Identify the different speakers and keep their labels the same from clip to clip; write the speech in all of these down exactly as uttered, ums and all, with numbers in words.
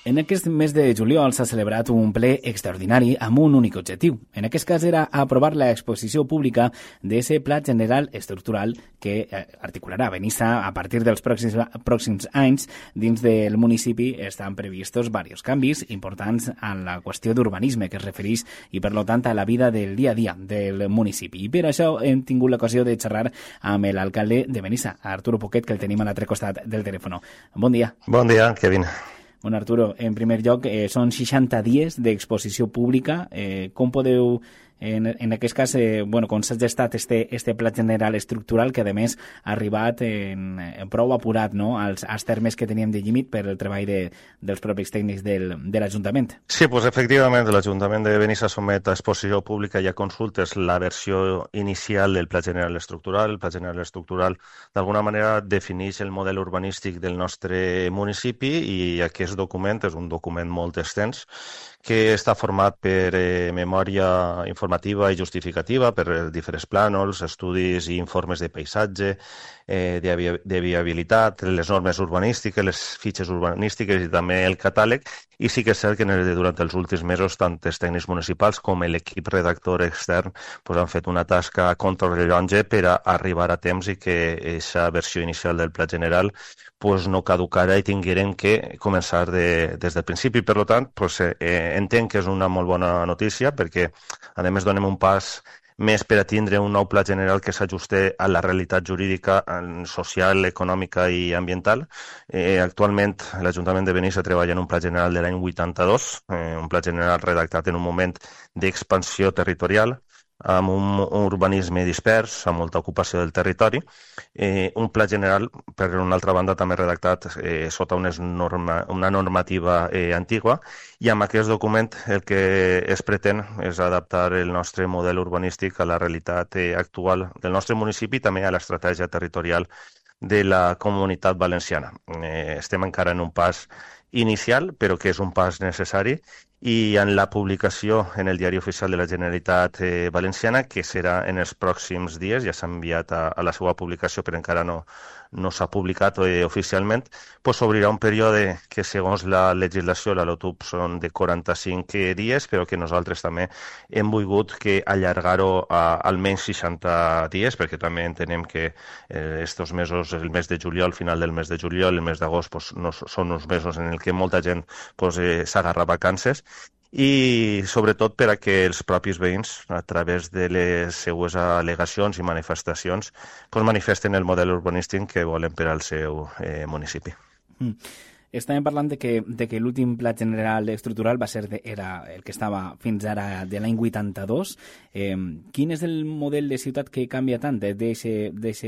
Speaker 1: En aquest mes de juliol s'ha celebrat un ple extraordinari amb un únic objectiu. En aquest cas era aprovar l'exposició pública d'aquest Pla General Estructural que articularà Benissa a partir dels pròxims, pròxims anys. Dins del municipi estan previstos diversos canvis importants en la qüestió d'urbanisme que es refereix i, per tant, a la vida del dia a dia del municipi. I per això hem tingut l'ocasió de xerrar amb l'alcalde de Benissa, Arturo Poquet, que el tenim a l'altre costat del telèfon. Bon dia.
Speaker 2: Bon dia, Kevin.
Speaker 1: Bueno, Arturo, en primer lloc, eh, són seixanta dies d'exposició pública. Eh, com podeu, en, en aquest cas, eh, bueno, com s'ha gestat este, este Pla General Estructural, que a més ha arribat en, en prou apurat, no?, als, als termes que teníem de límit per el treball de, dels propis tècnics del, de l'Ajuntament?
Speaker 2: Sí, pues, efectivament, l'Ajuntament de Benissa somet a exposició pública i a consultes la versió inicial del Pla General Estructural. El Pla General Estructural, d'alguna manera, defineix el model urbanístic del nostre municipi i aquest document és un document molt extens que està format per eh, memòria informativa i justificativa, per eh, diferents plànols, estudis i informes de paisatge, eh, de, vi de viabilitat, les normes urbanístiques, les fitxes urbanístiques i també el catàleg. I sí que és cert que durant els últims mesos tant els tècnics municipals com l'equip redactor extern pues, han fet una tasca a contrarrellotge per a arribar a temps i que aquesta versió inicial del Pla General pues, no caducara i tinguérem que començar de, des del principi. Per tant, pues, eh, entenc que és una molt bona notícia perquè, a més, donem un pas més per a tindre un nou pla general que s'ajuste a la realitat jurídica, social, econòmica i ambiental. Eh, actualment, l'Ajuntament de Benissa treballa en un pla general de l'any vuitanta-dos, eh, un pla general redactat en un moment d'expansió territorial, amb un urbanisme dispers, amb molta ocupació del territori, eh, un pla general, per una altra banda, també redactat eh, sota una, norma, una normativa eh, antigua, i amb aquest document el que es pretén és adaptar el nostre model urbanístic a la realitat eh, actual del nostre municipi i també a l'estratègia territorial de la Comunitat Valenciana. Eh, estem encara en un pas inicial, però que és un pas necessari, i en la publicació en el Diari Oficial de la Generalitat eh, Valenciana, que serà en els pròxims dies, ja s'ha enviat a, a la seva publicació, però encara no, no s'ha publicat eh, oficialment, pues s'obrirà un període que, segons la legislació, la LOTUP, són de quaranta-cinc dies, però que nosaltres també hem volgut que allargar-ho a almenys seixanta dies, perquè també entenem que eh, estos mesos, el mes de juliol, final del mes de juliol, el mes d'agost, pues, no, són uns mesos en què molta gent pues, eh, s'agarra vacances, i sobretot per a que els propis veïns, a través de les seues al·legacions i manifestacions, pues manifesten el model urbanístic que volen per al seu eh, municipi.
Speaker 1: Mm. Estàvem parlant de que, de que l'últim Pla General Estructural va ser de, era el que estava fins ara de l'any vuitanta-dos. Eh, quin és el model de ciutat que canvia tant d'aquest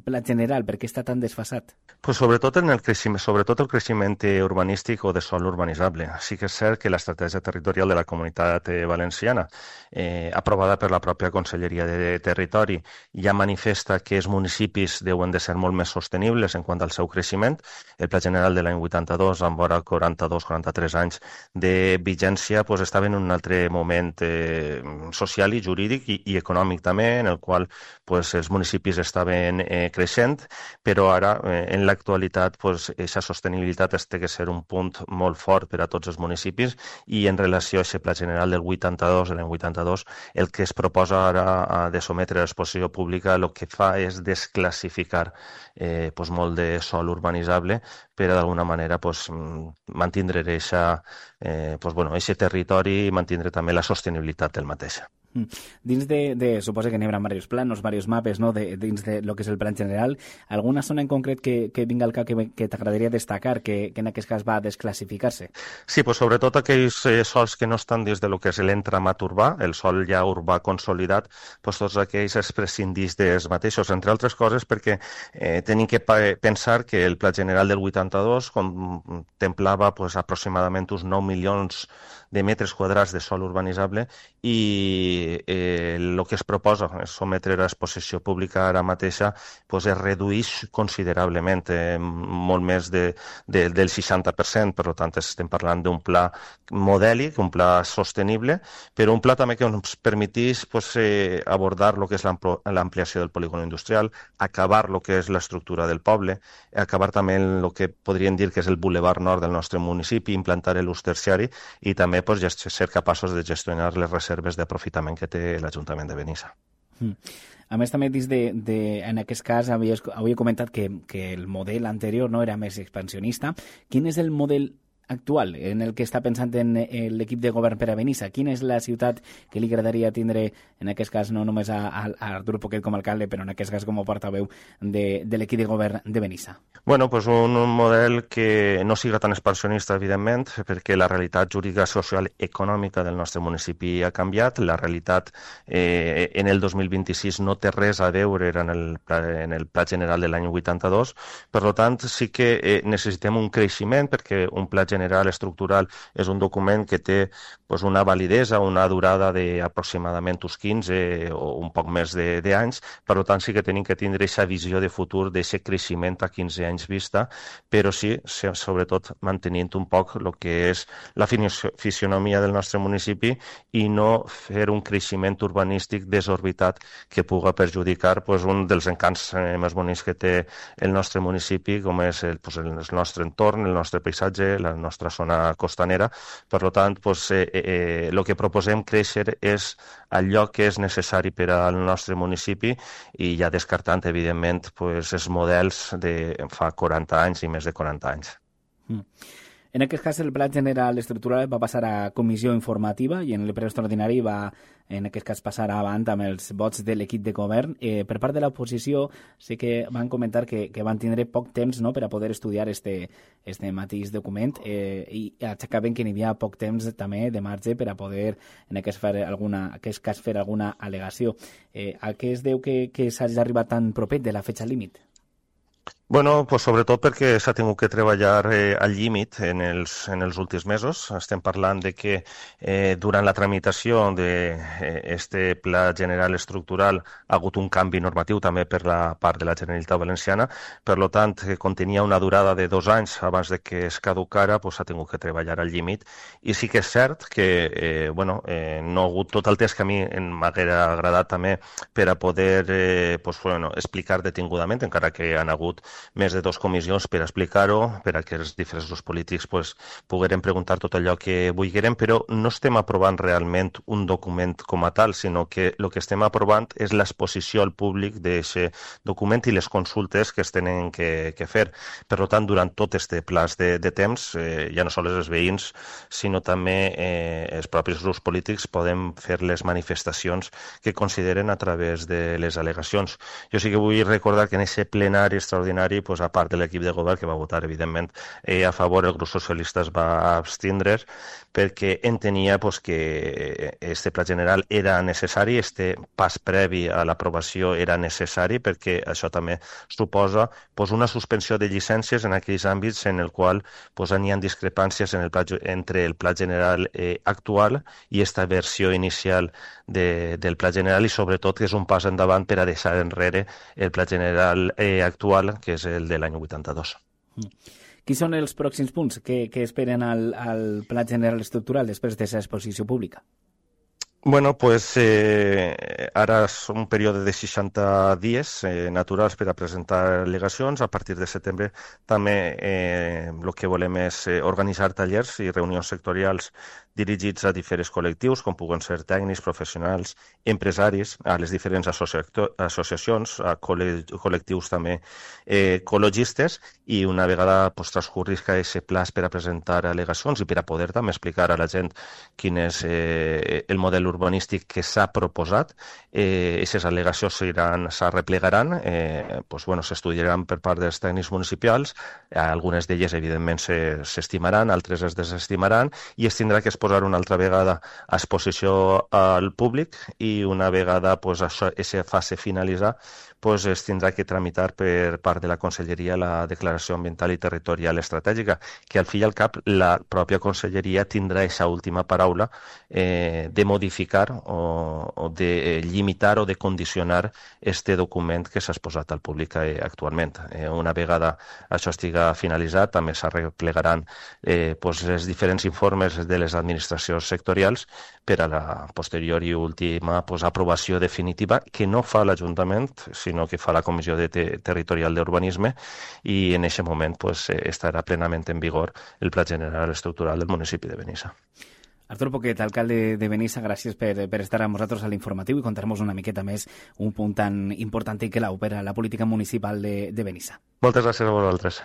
Speaker 1: Pla General? Per què està tan desfasat?
Speaker 2: Pues sobretot, en el creixement, sobretot el creixement urbanístic o de sòl urbanitzable. Sí que és cert que l'estratègia territorial de la Comunitat Valenciana, eh, aprovada per la pròpia Conselleria de Territori, ja manifesta que els municipis deuen de ser molt més sostenibles en quant al seu creixement. El Pla General de l'any vuitanta-dos, amb vora quaranta-dos quaranta-tres anys de vigència, pues, estava en un altre moment eh, social i jurídic i, i econòmic també, en el qual pues, els municipis estaven eh, creixent, però ara, eh, en l'actualitat, pues, aquesta sostenibilitat té que ser un punt molt fort per a tots els municipis, i en relació a aquest Pla General del vuitanta-dos, l'any vuitanta-dos, el que es proposa ara de sometre a l'exposició pública el que fa és desclassificar eh, pues, molt de sòl urbanitzable per a d'alguna manera pues, mantindre eixa, eh, pues, bueno, eixe territori i mantindre també la sostenibilitat del mateix.
Speaker 1: Dins de, de suposa que n'hi haurà diversos planos, diversos mapes, no?, de, dins de lo que és el plan general, alguna zona en concret que, que vinga al cap que, que t'agradaria destacar, que, que en aquest cas va a desclassificar-se?
Speaker 2: Sí, pues sobretot aquells eh, sols que no estan dins de lo que és l'entramat urbà, el sòl ja urbà consolidat, pues tots aquells es prescindís dels mateixos, entre altres coses perquè eh, tenim que pensar que el Pla General del vuitanta-dos contemplava pues, aproximadament uns nou milions de metres quadrats de sòl urbanitzable i eh, el que es proposa és sometre a exposició pública ara mateixa pues, es redueix considerablement, eh, molt més de, de, del seixanta per cent, per tant estem parlant d'un pla modèlic, un pla sostenible, però un pla també que ens permetís pues, eh, abordar el que és l'ampliació del polígon industrial, acabar el que és l'estructura del poble, acabar també el que podríem dir que és el bulevard nord del nostre municipi, implantar l'ús terciari i també pues, ser capaços de gestionar les reserves d'aprofitament que té l'Ajuntament de Benissa.
Speaker 1: Mm. A més, també dins de, de, en aquest cas, havia, havia comentat que, que el model anterior no era més expansionista. Quin és el model actual en el que està pensant en l'equip de govern per a Benissa? Quina és la ciutat que li agradaria tindre, en aquest cas, no només a, a Artur Poquet com a alcalde, però en aquest cas com a portaveu de, de l'equip de govern de Benissa?
Speaker 2: Bueno, pues un, un model que no siga tan expansionista, evidentment, perquè la realitat jurídica, social, econòmica del nostre municipi ha canviat. La realitat eh, en el dos mil vint-i-sis no té res a veure en el, en el Pla General de l'any vuitanta-dos. Per tant, sí que eh, necessitem un creixement, perquè un pla general estructural és un document que té pues, una validesa, una durada d'aproximadament uns quinze o un poc més d'anys. Per tant, sí que tenim que tindre aquesta visió de futur, d'aquest creixement a quinze anys vista, però sí, sobretot, mantenint un poc el que és la fisionomia del nostre municipi i no fer un creixement urbanístic desorbitat que puga perjudicar pues, un dels encants eh, més bonics que té el nostre municipi, com és el, pues, el nostre entorn, el nostre paisatge, la nostra zona costanera. Per tant, pues, eh, eh, el que proposem créixer és allò que és necessari per al nostre municipi i ja descartant, evidentment, pues, els models de fa quaranta anys i més de quaranta anys.
Speaker 1: Mm. En aquest cas, el Pla General Estructural va passar a comissió informativa i en el ple extraordinari va, en aquest cas, passar avant amb els vots de l'equip de govern. Eh, per part de l'oposició, sí que van comentar que, que van tindre poc temps, no?, per a poder estudiar este, este mateix document eh, i aixecaven que n'hi havia poc temps també de marge per a poder, en aquest, fer alguna, en aquest cas, fer alguna al·legació. Eh, a què es deu que, que s'hagi arribat tan propet de la fetxa límit?
Speaker 2: Bueno, pues sobretot perquè s'ha tingut que treballar eh, al límit en els, en els últims mesos. Estem parlant de que eh, durant la tramitació d'aquest eh, Pla General Estructural ha hagut un canvi normatiu també per la part de la Generalitat Valenciana. Per tant, que contenia una durada de dos anys abans de que es caducara, pues, s'ha tingut que treballar al límit. I sí que és cert que eh, bueno, eh, no ha hagut tot el temps que a mi m'haguera agradat també per a poder eh, pues, bueno, explicar detingudament, encara que han hagut més de dues comissions per explicar-ho, per a que els diferents grups polítics pues, pogueren preguntar tot allò que vulgueren, però no estem aprovant realment un document com a tal, sinó que el que estem aprovant és l'exposició al públic d'aquest document i les consultes que es tenen que, que fer. Per tant, durant tot aquest plaç de, de temps, eh, ja no sols els veïns, sinó també eh, els propis grups polítics podem fer les manifestacions que consideren a través de les al·legacions. Jo sí que vull recordar que en aquest plenari extraordinari, pues, a part de l'equip de govern que va votar, evidentment, eh, a favor, el grup socialista es va abstindre perquè entenia pues, que este pla general era necessari, este pas previ a l'aprovació era necessari, perquè això també suposa pues, una suspensió de llicències en aquells àmbits en el qual pues, hi ha discrepàncies en el pla, entre el pla general eh, actual i esta versió inicial de, del pla general, i sobretot que és un pas endavant per a deixar enrere el pla general eh, actual, que és el de l'any vuitanta-dos.
Speaker 1: Mm. Quins són els pròxims punts que, que esperen al, al Pla General Estructural després d'aquesta exposició pública?
Speaker 2: Bueno, pues eh, ara és un període de seixanta dies eh, naturals per a presentar al·legacions. A partir de setembre també eh, el que volem és eh, organitzar tallers i reunions sectorials dirigits a diferents col·lectius, com puguen ser tècnics, professionals, empresaris, a les diferents associacions, a col·lectius també eh, ecologistes, i una vegada pues, transcurris aquest plaç per a presentar al·legacions i per a poder també explicar a la gent quin és eh, el model urbanístic que s'ha proposat, eh, aquestes al·legacions s'arreplegaran, eh, pues, bueno, s'estudiaran per part dels tècnics municipals, algunes d'elles evidentment s'estimaran, altres es desestimaran, i es tindrà que es posar una altra vegada a exposició al públic, i una vegada pues, això, aquesta fase finalitzar, pues, es tindrà que tramitar per part de la Conselleria la Declaració Ambiental i Territorial Estratègica, que al fi i al cap la pròpia Conselleria tindrà aquesta última paraula eh, de modificar o, o de limitar o de condicionar este document que s'ha exposat al públic eh, actualment. Eh, una vegada això estiga finalitzat, també s'arreplegaran eh, pues, els diferents informes de les administracions sectorials per a la posterior i última pues, aprovació definitiva que no fa l'Ajuntament, sinó que fa la Comissió de Te Territorial d'Urbanisme, i en aquest moment pues, estarà plenament en vigor el Pla General Estructural del municipi de Benissa.
Speaker 1: Artur Poquet, alcalde de Benissa, gràcies per, per estar amb nosaltres a l'informatiu i contar-nos una miqueta més un punt tan important i clau per a la política municipal de, de Benissa.
Speaker 2: Moltes gràcies a vosaltres.